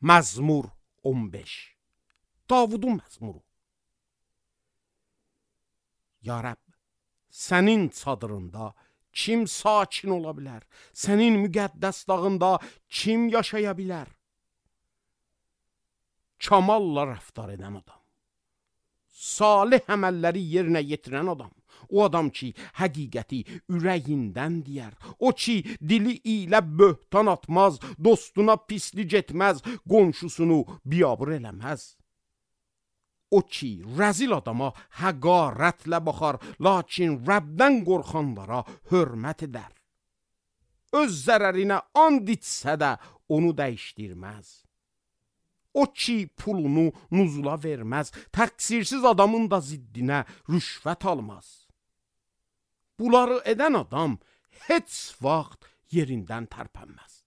Məzmur 15. Davudun məzmuru. Ya Rəbb, sənin çadırında kim sakin ola bilər? Sənin müqəddəs dağında kim yaşaya bilər? Kamalla rəftar edən adam, salih əməlləri yerinə yetirən adam, o adam ki, həqiqəti ürəyindən deyər, o ki, dili ilə böhtan atmaz, dostuna pislik etməz, qonşusunu biabır eləməz. O ki, rəzil adama həqarətlə baxar, lakin Rəbdən qorxanlara hörmət edər. Öz zərərinə and içsə də onu dəyişdirməz. O ki, pulunu nuzula verməz, təqsirsiz adamın da ziddinə rüşvət almaz. Bunları edən adam heç vaxt yerindən tərpənməz.